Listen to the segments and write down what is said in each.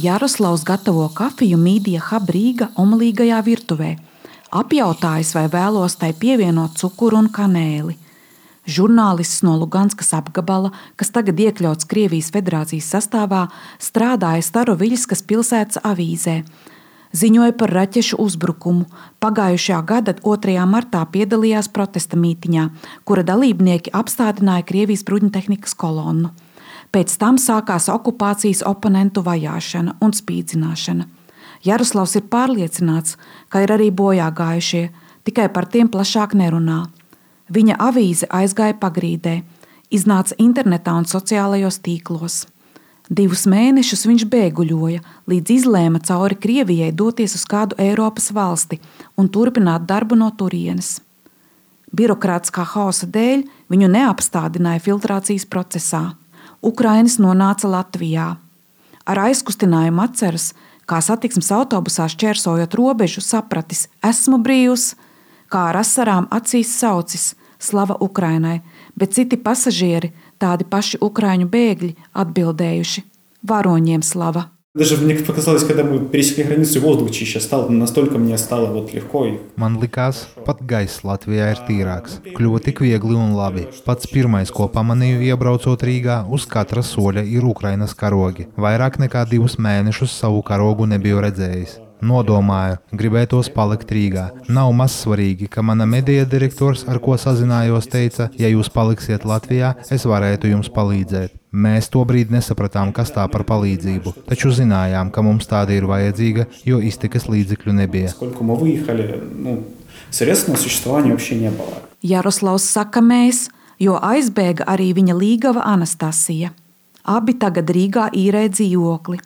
Jaroslavs gatavo kafiju Media Hub Rīga omulīgajā virtuvē. Apjautājis, vai vēlos tai pievienot cukuru un kanēli. Žurnālists no Luganskas apgabala, kas tagad iekļauts Krievijas federācijas sastāvā, strādāja Staroviļskas pilsētas avīzē. Ziņoja par raķešu uzbrukumu. Pagājušajā gada 2. martā piedalījās protesta mītiņā, kura dalībnieki apstādināja Krievijas bruņtehnikas kolonnu. Pēc tam sākās okupācijas oponentu vajāšana un spīdzināšana. Jaroslavs ir pārliecināts, ka ir arī bojāgājušie, tikai par tiem plašāk nerunā. Viņa avīze aizgāja pagrīdē, iznāca internetā un sociālajos tīklos. 2 mēnešus viņš bēguļoja, līdz izlēma cauri Krievijai doties uz kādu Eiropas valsti un turpināt darbu no turienes. Birokrātiskā hausa dēļ viņu neapstādināja filtrācijas procesā. Ukrainis nonāca Latvijā. Ar aizkustinājumu atceras, kā satiksmes autobusā šķērsojot robežu, sapratis: esmu brīvs, kā ar asarām acīs saucis: slava Ukrainai, bet citi pasažieri, tādi paši ukraiņu bēgļi, atbildējuši: varoņiem slava. Даже мне показалось, когда мы пересекли границу, воздух чище стал, настолько мне стало легко. Man likās, pat gaiss Latvijā ir tīrāks. Kļuva tik viegli un labi. Pats pirmais, ko pamanīju iebraucot Rīgā, uz katra soļa ir Ukrainas karogi. Vairāk nekā 2 mēnešus savu karogu nebiju redzējis. Nodomāju, gribētos palikt Rīgā. Nav mazsvarīgi, ka mana medija direktors, ar ko sazinājos, teica: ja jūs paliksiet Latvijā, es varētu jums palīdzēt. Mēs tobrīd nesapratām, kas tā par palīdzību, taču zinājām, ka mums tāda ir vajadzīga, jo iztikas līdzekļu nebija. Jaroslavs saka mēs, jo aizbēga arī viņa līgava Anastasija. Abi tagad Rīgā īrē dzīvokli.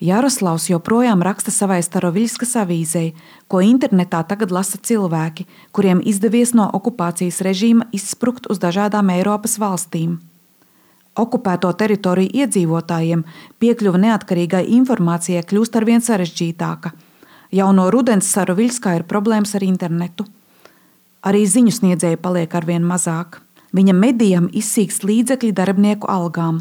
Jaroslavs joprojām raksta savai Staroviļskas avīzei, ko internetā tagad lasa cilvēki, kuriem izdevies no okupācijas režīma izsprukt uz dažādām Eiropas valstīm. Okupēto teritoriju iedzīvotājiem piekļuva neatkarīgai informācijai kļūst arvien sarežģītāka. Jau no rudens Staroviļskā ir problēmas ar internetu. Arī ziņu sniedzēji paliek arvien mazāk. Viņa medijam izsīkst līdzekļi darbinieku algām,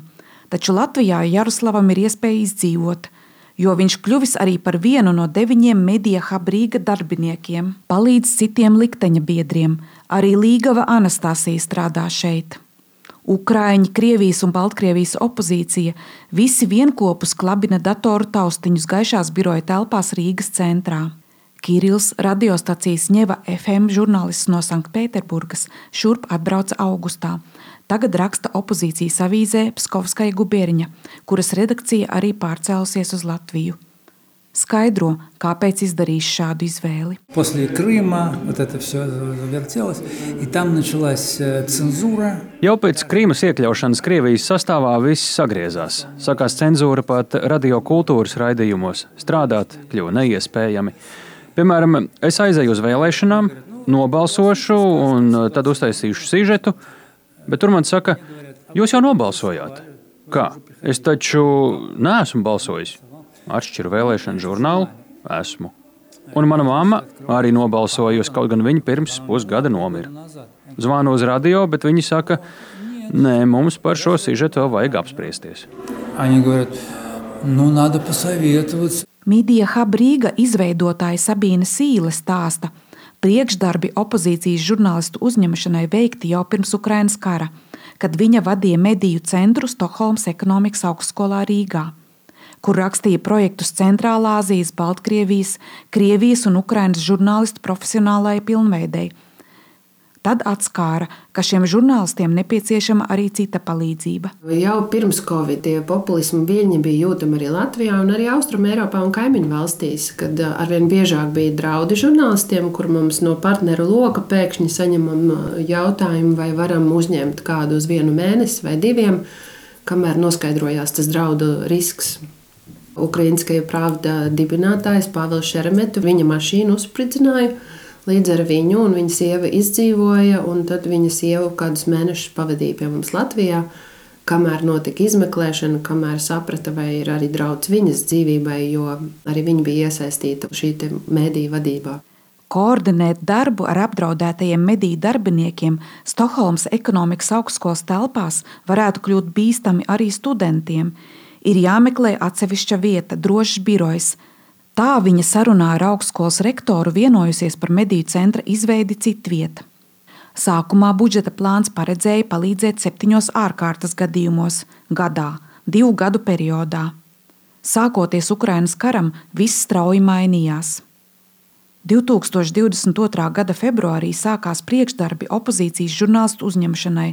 taču Latvijā Jaroslavam ir iespēja izdzīvot, jo viņš kļuvis arī par vienu no 9 Media Hub Rīga darbiniekiem, palīdz citiem likteņa biedriem. Arī līgava Anastasija strādā šeit. Ukraiņi, Krievijas un Baltkrievijas opozīcija visi vienkopus klabina datoru taustiņus gaišās biroja telpās Rīgas centrā. Kirils, radiostacijas Ņeva FM žurnālists no Sanktpēterburgas, šurp atbrauca augustā. Tagad raksta opozīcijas avīzē Pskovskaja Gubierņa, kuras redakcija arī pārcēlusies uz Latviju. Skaidro, kāpēc izdarījis šādu izvēli. После Крыма вот это все завертелось, и там началась цензура. Jau pēc Krīmas iekļaušanas Krievijas sastāvā viss sagriezās. Sākās cenzūra pat radiokultūras raidījumos. Strādāt kļuva neiespējami. Piemēram, es aizēju uz vēlēšanām, nobalsošu un tad uztaisīšu sižetu, bet tur man saka: jūs jau nobalsojāt. Kā? Es taču neesmu balsojis. Atšķiru vēlēšanu žurnālu, esmu. Un mana mamma arī nobalsojusi, kaut gan viņa pirms pusgada nomira. Zvanu uz radio, bet viņi saka: nē, mums par šo sižetu vēl vajag apspriesties. Они говорят: ну, надо посоветоваться. Media Hub Rīga izveidotāja Sabīne Sīle stāsta: priekšdarbi opozīcijas žurnālistu uzņemšanai veikti jau pirms Ukrainas kara, kad viņa vadīja mediju centru Stokholmas ekonomikas augstskolā Rīgā, kur rakstīja projektus Centrālā Āzijas, Baltkrievijas, Krievijas un Ukrainas žurnālistu profesionālajai pilnveidei. Tad atskāra, ka šiem žurnālistiem nepieciešama arī cita palīdzība. Jau pirms Covid tie populismu viļņi bija jūtami arī Latvijā un arī Austrum Eiropā un kaimiņu valstīs, kad arvien biežāk bija draudi žurnālistiem, kur mums no partneru loka pēkšņi saņemam jautājumu, vai varam uzņemt kādu uz 1 mēnesi vai 2, kamēr noskaidrojās tas draudu risks. Ukrainskaja Pravda dibinātājs Pāvils Šeremetu viņa mašīnu uzspridzināja. Līdz ar viņu un viņa sieva izdzīvoja, un tad viņa sieva kādus mēnešus pavadīja pie mums Latvijā, kamēr notika izmeklēšana, kamēr saprata, vai ir arī draudz viņas dzīvībai, jo arī viņa bija iesaistīta šī mediju vadībā. Koordinēt darbu ar apdraudētajiem mediju darbiniekiem Stokholmas ekonomikas augstskolas telpās varētu kļūt bīstami arī studentiem. Ir jāmeklē atsevišķa vieta, drošs birojs. Tā viņa sarunā ar augstskolas rektoru vienojusies par mediju centra izveidi citvieta. Sākumā budžeta plāns paredzēja palīdzēt 7 ārkārtas gadījumos gadā, 2 gadu periodā. Sākoties Ukrainas karam, viss strauji mainījās. 2022. gada februārī sākās priekšdarbi opozīcijas žurnālistu uzņemšanai.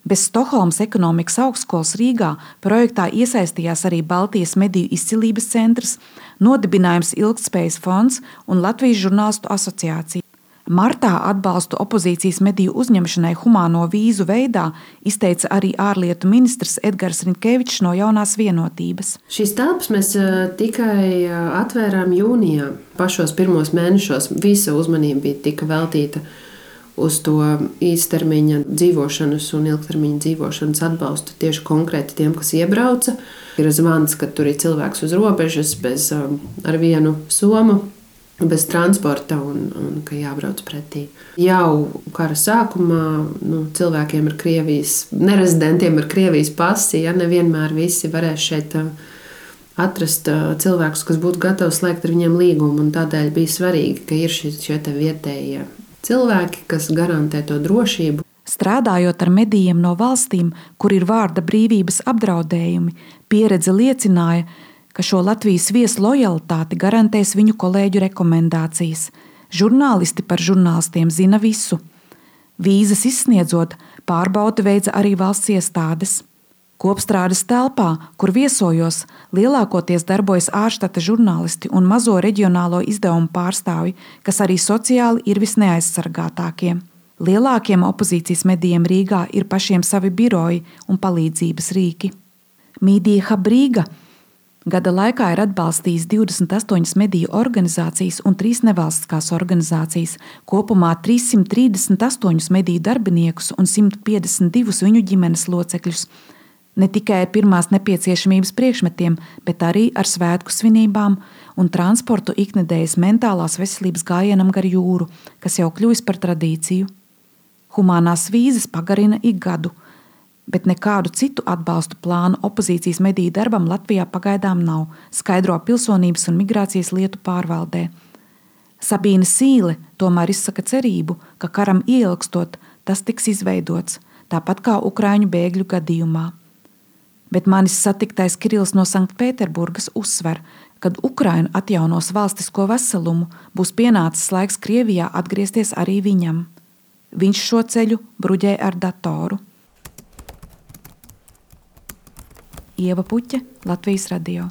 Bez Stokholmas ekonomikas augstskolas Rīgā projektā iesaistījās arī Baltijas mediju izcilības centrs, nodibinājums Ilgtspējas fonds un Latvijas žurnālistu asociācija. Martā atbalstu opozīcijas mediju uzņemšanai humāno vīzu veidā izteica arī ārlietu ministrs Edgars Riņkevičs no Jaunās vienotības. Šīs telpas mēs tikai atvērām jūnijā. Pašos pirmos mēnešos visa uzmanība bija tika veltīta uz to īstermiņa dzīvošanas un ilgtermiņa dzīvošanas atbalstu tieši konkrēti tiem, kas iebrauca. Ir zvans, ka tur ir cilvēks uz robežas ar vienu somu, bez transporta un ka jābrauc pretī. Jau kara sākumā cilvēkiem ar Krievijas, nerezidentiem ar Krievijas pasi, nevienmēr visi varēs šeit atrast cilvēkus, kas būtu gatavi slēgt ar viņiem līgumu. Un tādēļ bija svarīgi, ka ir šie vietējie cilvēki, kas garantē to drošību. Strādājot ar medijiem no valstīm, kur ir vārda brīvības apdraudējumi, pieredze liecināja, ka šo Latvijas viesu lojalitāti garantēs viņu kolēģu rekomendācijas. Žurnālisti par žurnālistiem zina visu. Vīzas izsniedzot, pārbaudi veica arī valsts iestādes. Kopstrādes telpā, kur viesojos, lielākoties darbojas ārštata žurnālisti un mazo reģionālo izdevumu pārstāvji, kas arī sociāli ir visneaizsargātākie. Lielākiem opozīcijas medijiem Rīgā ir pašiem savi biroji un palīdzības rīki. Media Hub Rīga gada laikā ir atbalstījis 28 mediju organizācijas un 3 nevalstiskās organizācijas, kopumā 338 mediju darbiniekus un 152 viņu ģimenes locekļus. Ne tikai ar pirmās nepieciešamības priekšmetiem, bet arī ar svētku svinībām un transportu iknedēļas mentālās veselības gājienam gar jūru, kas jau kļuvis par tradīciju. Humānās vīzas pagarina ik gadu, bet nekādu citu atbalstu plānu opozīcijas mediju darbam Latvijā pagaidām nav, skaidro Pilsonības un migrācijas lietu pārvaldē. Sabīne Sīle tomēr izsaka cerību, ka karam ieilgstot tas tiks izveidots, tāpat kā ukraiņu bēgļu gadījumā. Bet manis satiktais Kirils no Sanktpēterburgas uzsver, kad Ukraina atjaunos valstisko veselumu, būs pienācis laiks Krievijā atgriezties arī viņam. Viņš šo ceļu bruģē ar datoru. Ieva Puķe, Latvijas radio.